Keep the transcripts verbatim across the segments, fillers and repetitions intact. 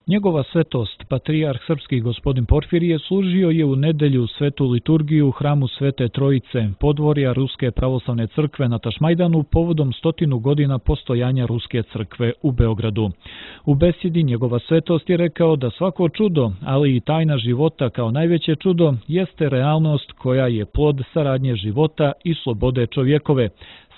Njegova svetost, patrijarh srpski gospodin Porfirije, služio je u nedelju svetu liturgiju u hramu Svete Trojice, podvorja Ruske pravoslavne crkve na Tašmajdanu povodom stotinu godina postojanja Ruske crkve u Beogradu. U besjedi njegova svetost je rekao da svako čudo, ali i tajna života kao najveće čudo, jeste realnost koja je plod saradnje života i slobode čovjekove,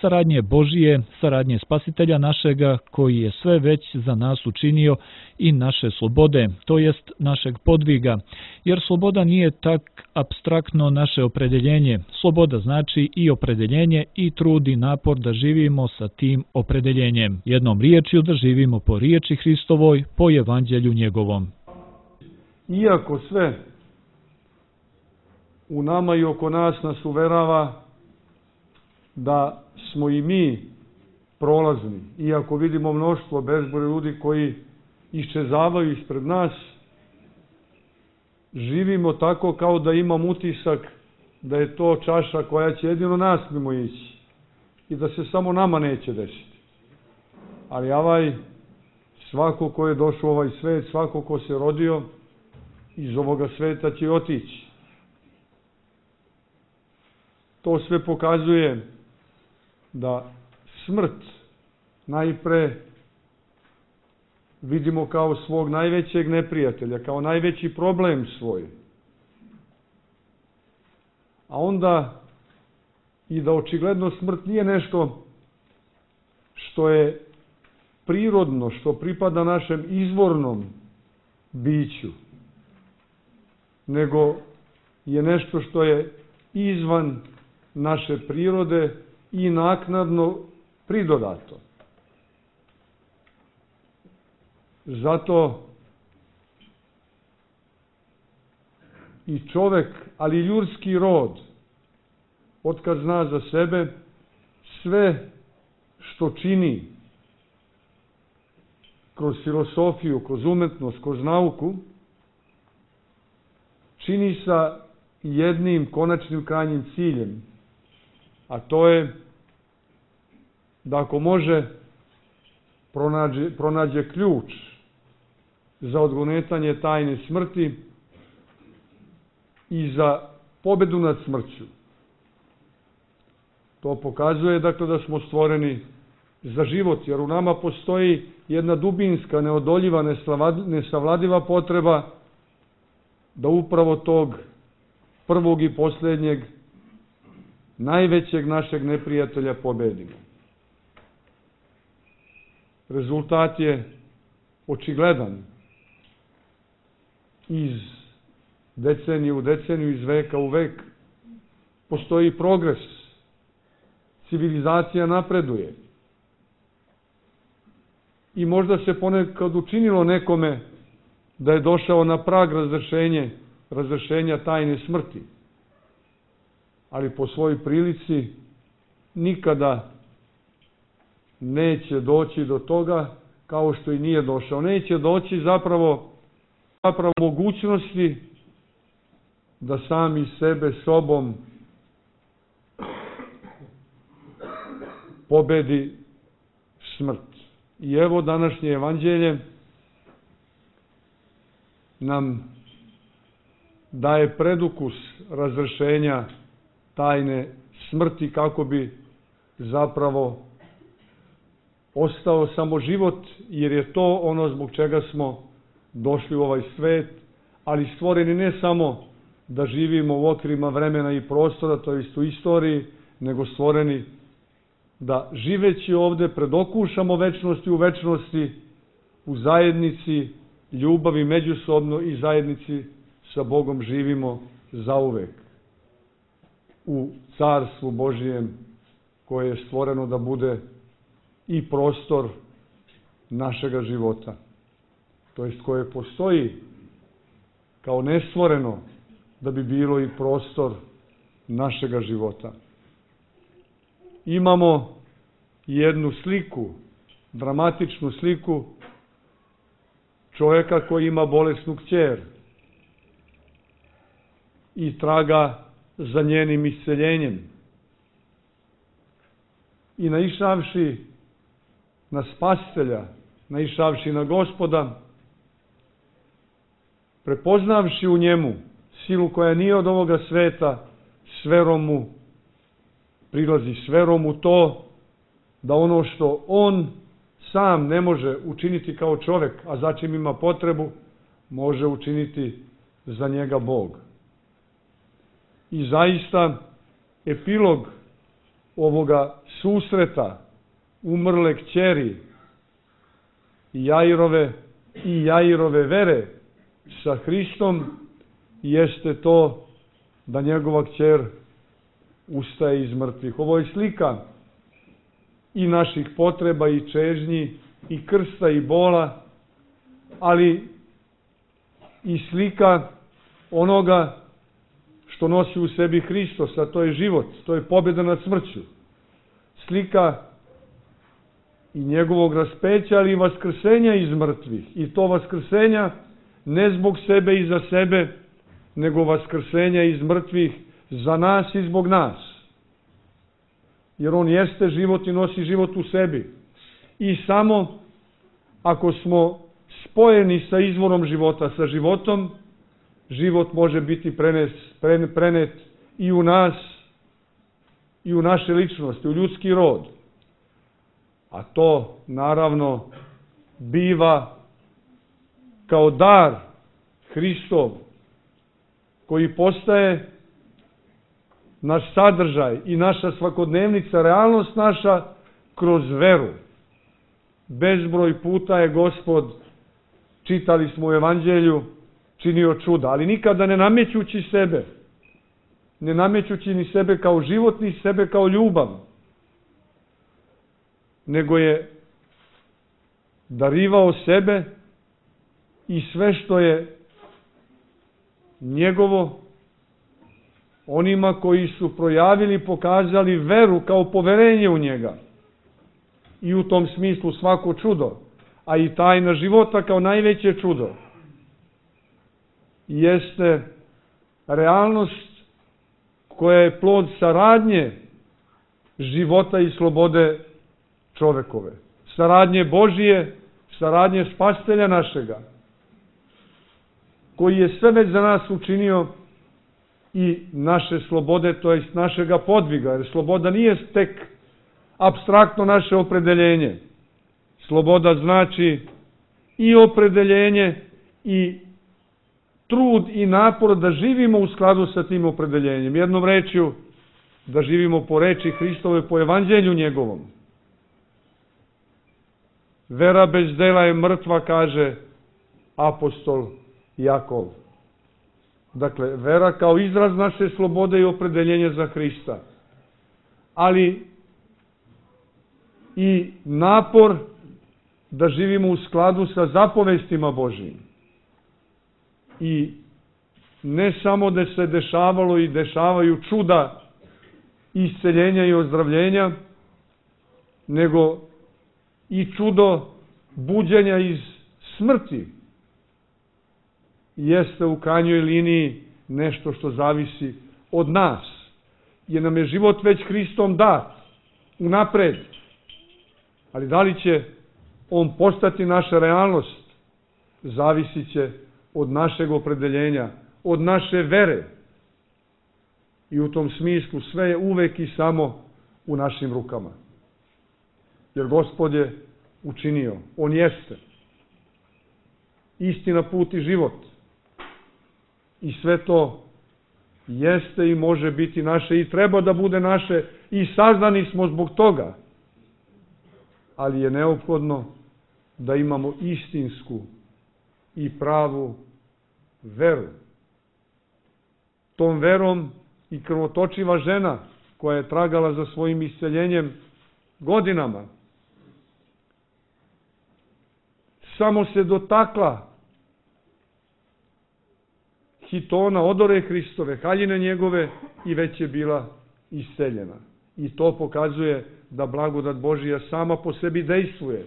saradnje Božije, saradnje Spasitelja našega, koji je sve već za nas učinio, i naše slobode, to jest našeg podviga, jer sloboda nije tak apstraktno naše opredeljenje. Sloboda znači i opredeljenje i trud i napor da živimo sa tim opredeljenjem. Jednom riječju da živimo po riječi Hristovoj, po evanđelju njegovom. Iako sve u nama i oko nas nas uverava da smo i mi prolazni, iako vidimo mnoštvo, bezbroj ljudi koji iščezavaju ispred nas, živimo tako kao da imam utisak da je to čaša koja će jedino nas mimo ići i da se samo nama neće desiti. Ali ovaj, svako ko je došao u ovaj svet, svako ko se rodio, iz ovoga sveta će otići. To sve pokazuje da smrt najpre vidimo kao svog najvećeg neprijatelja, kao najveći problem svoj. A onda i da očigledno smrt nije nešto što je prirodno, što pripada našem izvornom biću, nego je nešto što je izvan naše prirode i naknadno pridodato. Zato i čovek, ali i ljudski rod, otkad zna za sebe, sve što čini kroz filosofiju, kroz umetnost, kroz nauku, čini sa jednim konačnim krajnjim ciljem, a to je da ako može pronađe, pronađe ključ za odgonetanje tajne smrti i za pobedu nad smrću. To pokazuje dakle da smo stvoreni za život, jer u nama postoji jedna dubinska, neodoljiva, nesavladiva potreba da upravo tog prvog i posljednjeg, najvećeg našeg neprijatelja pobedimo. Rezultat je očigledan. Iz decenije u deceniju, iz veka u vek, postoji progres. Civilizacija napreduje. I možda se ponekad učinilo nekome da je došao na prag razrešenje, razrešenja tajne smrti. Ali po svojoj prilici nikada neće doći do toga kao što i nije došao. Neće doći zapravo, zapravo mogućnosti da sami sebe sobom pobedi smrt. I evo današnje evanđelje nam daje predukus razrešenja tajne smrti kako bi zapravo ostao samo život, jer je to ono zbog čega smo došli u ovaj svet, ali stvoreni ne samo da živimo u okvirima vremena i prostora, to jest u istoriji, nego stvoreni da živeći ovde predokušamo večnosti u večnosti, u zajednici ljubavi međusobno i zajednici sa Bogom živimo zauvek. U carstvu Božijem koje je stvoreno da bude i prostor našega života. To jest koje postoji kao nestvoreno da bi bilo i prostor našega života. Imamo jednu sliku, dramatičnu sliku čovjeka koji ima bolesnu kćer i traga za njenim isceljenjem. I naišavši na Spasitelja, naišavši na Gospoda, prepoznavši u njemu silu koja nije od ovoga sveta, s verom mu prilazi, s verom u to da ono što on sam ne može učiniti kao čovjek, a za čim ima potrebu, može učiniti za njega Bog. I zaista epilog ovoga susreta umrle kćeri Jairove i Jairove vere sa Hristom jeste to da njegova kćer ustaje iz mrtvih. Ovo je slika i naših potreba i čežnji i krsta i bola, ali i slika onoga što nosi u sebi Hristos, a to je život, to je pobjeda nad smrću. Slika i njegovog raspeća, ali i vaskrsenja iz mrtvih. I to vaskrsenja ne zbog sebe i za sebe, nego vaskrsenja iz mrtvih za nas i zbog nas. Jer on jeste život i nosi život u sebi. I samo ako smo spojeni sa izvorom života, sa životom, život može biti prenes, prenet i u nas, i u naše ličnosti, u ljudski rod. A to, naravno, biva kao dar Hristov, koji postaje naš sadržaj i naša svakodnevnica, realnost naša kroz veru. Bezbroj puta je Gospod, čitali smo u Evanđelju, činio čuda, ali nikada ne namećući sebe, ne namećući ni sebe kao život, ni sebe kao ljubav, nego je darivao sebe i sve što je njegovo onima koji su projavili, pokazali veru kao poverenje u njega. I u tom smislu svako čudo, a i tajna života kao najveće čudo, jeste realnost koja je plod saradnje života i slobode čovekove. Saradnje Božije, saradnje Spasitelja našega, koji je sve već za nas učinio i naše slobode, to jest našega podviga, jer sloboda nije tek apstraktno naše opredeljenje. Sloboda znači i opredeljenje i trud i napor da živimo u skladu sa tim opredeljenjem. Jednom rečju, da živimo po reči Hristove, po evanđelju njegovom. Vera bez dela je mrtva, kaže apostol Jakov. Dakle, vera kao izraz naše slobode i opredeljenja za Hrista. Ali i napor da živimo u skladu sa zapovestima Božijim. I ne samo da se dešavalo i dešavaju čuda isceljenja i ozdravljenja, nego i čudo buđenja iz smrti jeste u krajnjoj liniji nešto što zavisi od nas. Jer nam je život već Hristom dat, unapred. Ali da li će on postati naša realnost, zavisit će od našeg opredeljenja, od naše vere. I u tom smislu sve je uvek i samo u našim rukama. Jer Gospod je učinio, on jeste istina, put i život. I sve to jeste i može biti naše i treba da bude naše i saznani smo zbog toga. Ali je neophodno da imamo istinsku i pravu veru. Tom verom i krvotočiva žena koja je tragala za svojim isceljenjem godinama samo se dotakla hitona, odore Hristove, haljine njegove i već je bila isceljena. I to pokazuje da blagodat Božija sama po sebi dejstvuje.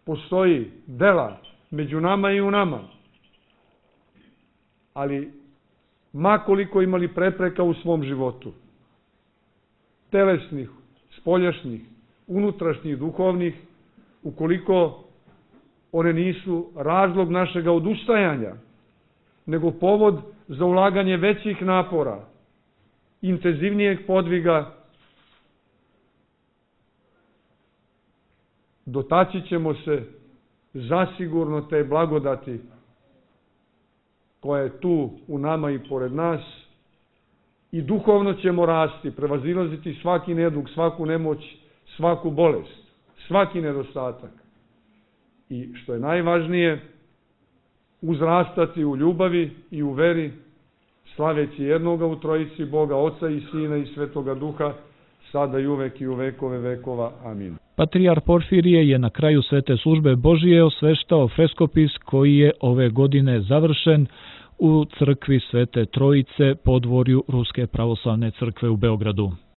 Postoji dela među nama i u nama. Ali makoliko imali prepreka u svom životu, telesnih, spoljašnjih, unutrašnjih, duhovnih, ukoliko one nisu razlog našega odustajanja nego povod za ulaganje većih napora, intenzivnijeg podviga. Dotaći ćemo se zasigurno te blagodati koja je tu u nama i pored nas i duhovno ćemo rasti, prevazilaziti svaki nedug, svaku nemoć, svaku bolest, svaki nedostatak. I što je najvažnije, uzrastati u ljubavi i u veri, slaveći jednoga u trojici Boga, Oca i Sina i Svetoga Duha, sada i uvek i u vekove vekova. Amin. Patrijar Porfirije je na kraju svete službe Božije osveštao freskopis koji je ove godine završen u crkvi Svete Trojice, podvorju Ruske pravoslavne crkve u Beogradu.